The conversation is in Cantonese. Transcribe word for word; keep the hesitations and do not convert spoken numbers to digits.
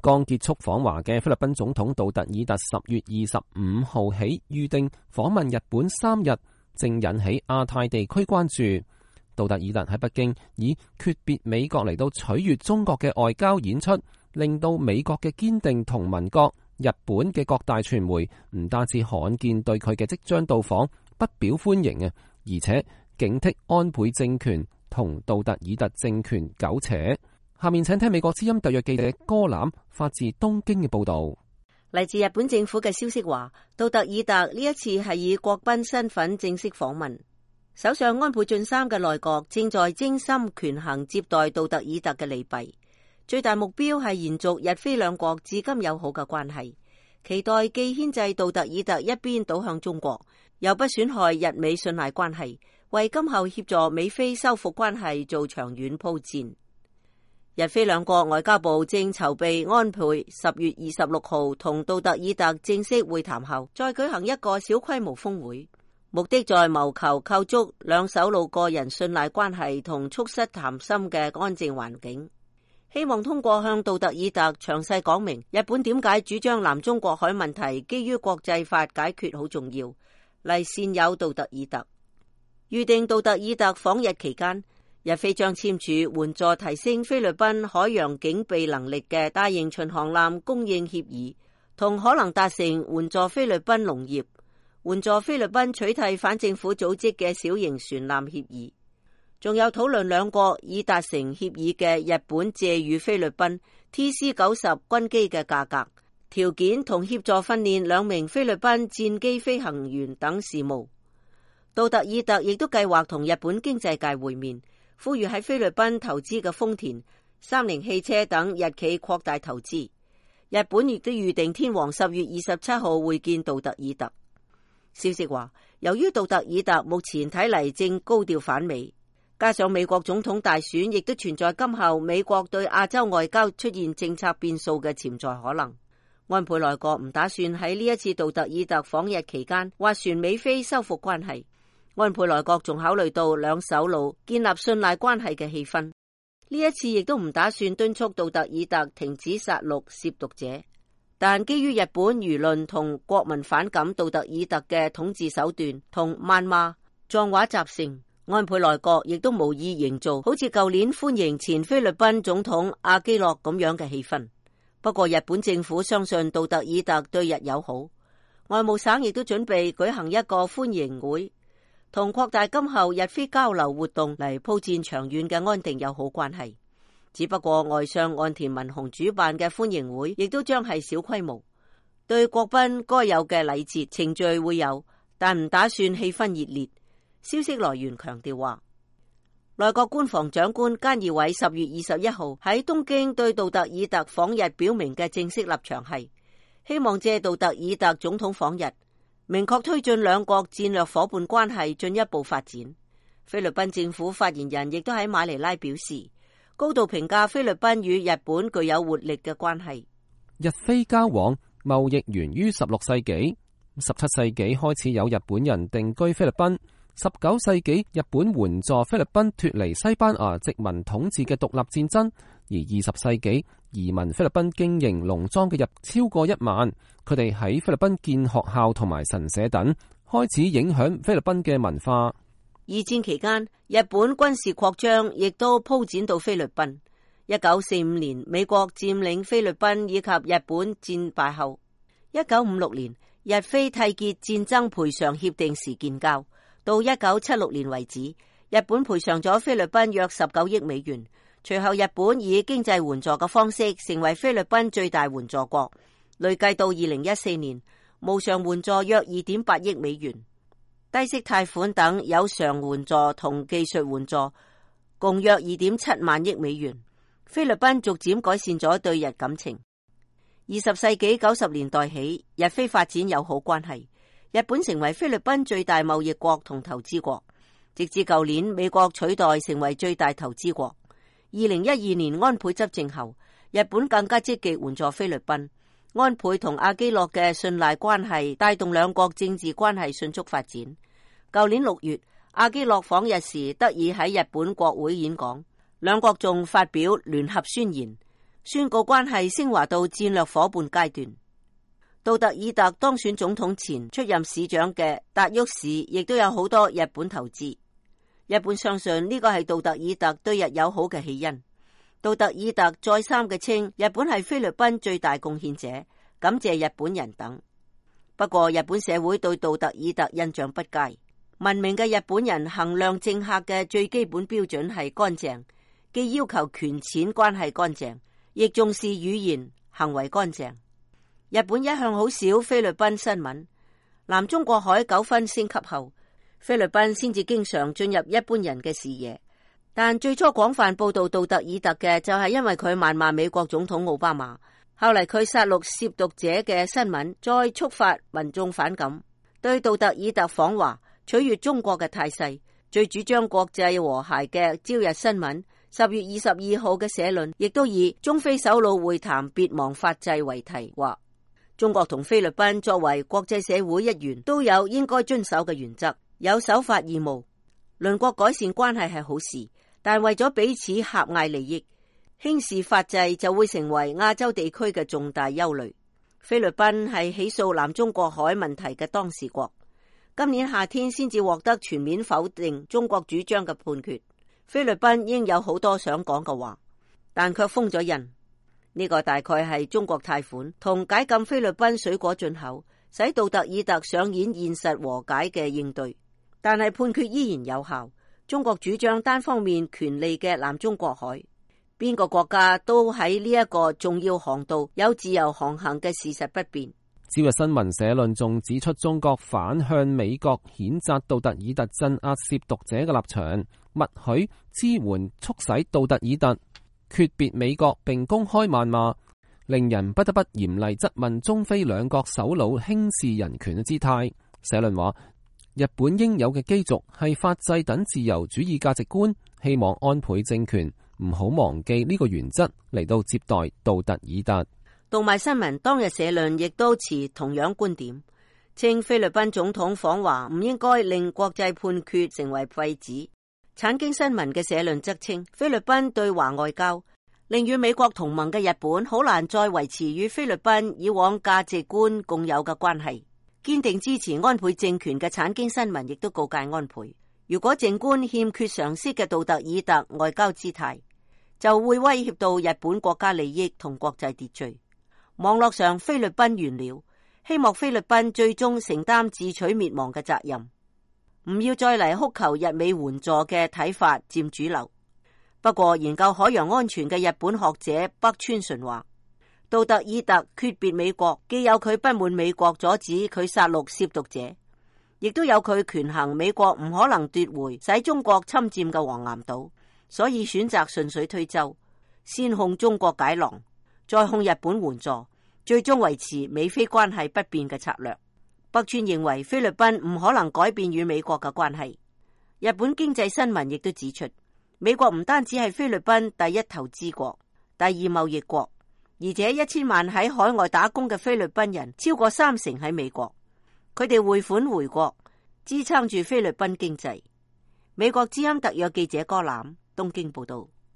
剛結束訪華嘅菲律賓總統杜特爾特十月二十五號起預定訪問日本三日，正引起亞太地區關注。杜特爾特喺北京以訣別美國嚟到取悅中國嘅外交演出，令到美國嘅堅定同盟國日本嘅各大傳媒唔單止罕見對佢嘅即將到訪不表歡迎啊，而且警惕安倍政權同杜特爾特政權苟且。下面請聽美國之音特約記者歌欖發自東京嘅報道。嚟自日本政府嘅消息話，杜特爾特呢一次係以國賓身份正式訪問。首相安倍晉三嘅內閣正在精心權衡接待杜特爾特嘅利弊，最大目標係延續日菲兩國至今友好嘅關係，期待既牽制杜特爾特一邊倒向中國，又不損害日美信賴關係，為今後協助美菲修復關係做長遠鋪墊。日菲兩國外交部正籌備安倍十月二十六號同杜特爾特正式會談後，再舉行一個小規模峰會，目的在謀求構築兩首腦個人信賴關係同促膝談心嘅安靜環境。希望通過向杜特爾特詳細講明日本點解主張南中國海問題基於國際法解決好重要，嚟善誘杜特爾特。預定杜特爾特訪日期間，日菲將簽署援助提升菲律賓海洋警備能力嘅大型巡航艦供應協議，同可能達成援助菲律賓農業、援助菲律賓取締反政府組織嘅小型船艦協議，仲有討論兩國已達成協議嘅日本借予菲律賓 T C 九十軍機嘅價格、條件同協助訓練兩名菲律賓戰機飛行員等事務。杜特爾特亦都計劃同日本經濟界會面，呼籲喺菲律賓投資嘅豐田、三菱汽車等日企擴大投資。日本亦都預定天皇十月二十七號會見杜特爾特。消息話，由於杜特爾特目前睇嚟正高調反美，加上美國總統大選亦都存在今後美國對亞洲外交出現政策變數嘅潛在可能，安倍內閣唔打算喺呢一次杜特爾特訪日期間斡旋美菲修復關係。安倍內閣仲考慮到兩首腦建立信賴關係嘅氣氛，呢一次亦都唔打算敦促杜特爾特停止殺戮涉毒者。但基於日本輿論同國民反感杜特爾特嘅統治手段同謾罵、髒話習性，安倍內閣亦都無意營造好似舊年歡迎前菲律賓總統阿基諾咁樣嘅氣氛。不過日本政府相信杜特爾特對日友好，外務省亦都準備舉行一個歡迎會，同擴大今後日菲交流活動嚟鋪墊長遠嘅安定友好關係。只不過外相岸田文雄主辦嘅歡迎會亦都將係小規模，對國賓該有嘅禮節程序會有，但唔打算氣氛熱烈。消息來源強調話，內閣官房長官菅義偉十月二十一號喺東京對杜特爾特訪日表明嘅正式立場係，希望借杜特爾特總統訪日，明確推進兩國戰略夥伴關係進一步發展。菲律賓政府發言人亦都喺馬尼拉表示，高度評價菲律賓與日本具有活力嘅關係。日菲交往貿易源於十六世紀，十七世紀開始有日本人定居菲律賓，十九世紀日本援助菲律賓脫離西班牙殖民統治嘅獨立戰爭，而二十世紀移民菲律賓經營農莊嘅人超過一萬，佢哋喺菲律賓建學校同埋神社等，開始影響菲律賓嘅文化。二戰期間，日本軍事擴張亦都鋪展到菲律賓。一九四五年，美國佔領菲律賓以及日本戰敗後，一九五六年日菲締結戰爭賠償協定時建交，到一九七六年為止，日本賠償咗菲律賓約十九億美元。隨後日本以經濟援助嘅方式成為菲律賓最大援助國，累計到二零一四年，無償援助約二點八億美元。低息貸款等有償援助同技術援助共約二點七萬億美元。菲律賓逐漸改善咗對日感情。二十世紀九十年代起，日菲發展友好關係，日本成為菲律賓最大貿易國同投資國，直至舊年美國取代成為最大投資國。二零一二年安倍執政後，日本更加積極援助菲律賓。安倍同阿基諾嘅信賴關係帶動兩國政治關係迅速發展。舊年六月，阿基諾訪日時得以喺日本國會演講，兩國仲發表聯合宣言，宣告關係升華到戰略夥伴階段。杜特爾特當選總統前出任市長嘅達沃市亦都有好多日本投資。日本相信呢個係杜特爾特對日友好嘅起因。杜特爾特再三嘅稱日本係菲律賓最大貢獻者，感謝日本人等。不過日本社會對杜特爾特印象不佳。文明嘅日本人衡量政客嘅最基本標準係乾淨，既要求權錢關係乾淨，亦重視語言行為乾淨。日本一向好少菲律賓新聞，南中國海糾紛升級後，菲律賓先至經常進入一般人嘅視野。但最初廣泛報道杜特爾特嘅就係因為佢謾罵美國總統奧巴馬，後嚟佢殺戮涉毒者嘅新聞再觸發民眾反感，對杜特爾特訪華取悅中國嘅態勢。最主張國際和諧嘅朝日新聞十月二十二號嘅社論亦都以中菲首腦會談別忘法制為題，話中國同菲律賓作為國際社會一員都有應該遵守嘅原則，有守法義務。鄰國改善關係係好事，但為咗彼此狹隘利益，輕視法制就會成為亞洲地區嘅重大憂慮。菲律賓係起訴南中國海問題嘅當事國，今年夏天先至獲得全面否定中國主張嘅判決。菲律賓應有好多想講嘅話，但卻封咗印。呢個大概係中國貸款同解禁菲律賓水果進口，使杜特爾特上演現實和解嘅應對。但係判決依然有效。中國主張單方面權利嘅南中國海，邊個國家都喺呢一個重要航道有自由航行嘅事實不變。朝日新聞社論仲指出，中國反向美國譴責杜特爾特鎮壓涉毒者嘅立場，默許支援促使杜特爾特訣別美國並公開謾罵，令人不得不嚴厲質問中菲兩國首腦輕視人權嘅姿態。社論話，日本應有嘅基軸係法制等自由主義價值觀，希望安倍政權唔好忘記呢個原則嚟到接待杜特爾特。讀賣新聞當日社論亦都持同樣觀點，稱菲律賓總統訪華唔應該令國際判決成為廢紙。產經新聞嘅社論則稱，菲律賓對華外交令與美國同盟嘅日本好難再維持與菲律賓以往價值觀共有嘅關係。堅定支持安倍政權嘅產經新聞亦都告誡安倍，如果靜觀欠缺常識嘅杜特爾特外交姿態，就會威脅到日本國家利益同國際秩序。網絡上菲律賓完了，希望菲律賓最終承擔自取滅亡嘅責任，唔要再嚟哭求日美援助嘅睇法佔主流。不過研究海洋安全嘅日本學者北川純話，杜特爾特訣別美國，既有佢不滿美國阻止佢殺戮涉毒者，亦都有佢權衡美國唔可能奪回使中國侵佔嘅黃岩島，所以選擇順水推舟，先控中國解囊，再控日本援助，最終維持美菲關係不變嘅策略。北川認為菲律賓唔可能改變與美國嘅關係。日本經濟新聞亦都指出，美國唔單止係菲律賓第一投資國、第二貿易國，而且一千萬喺海外打工嘅菲律賓人超過三成喺美國，佢哋匯款回國，支撐住菲律賓經濟。美國之音特約記者柯欖東京報道。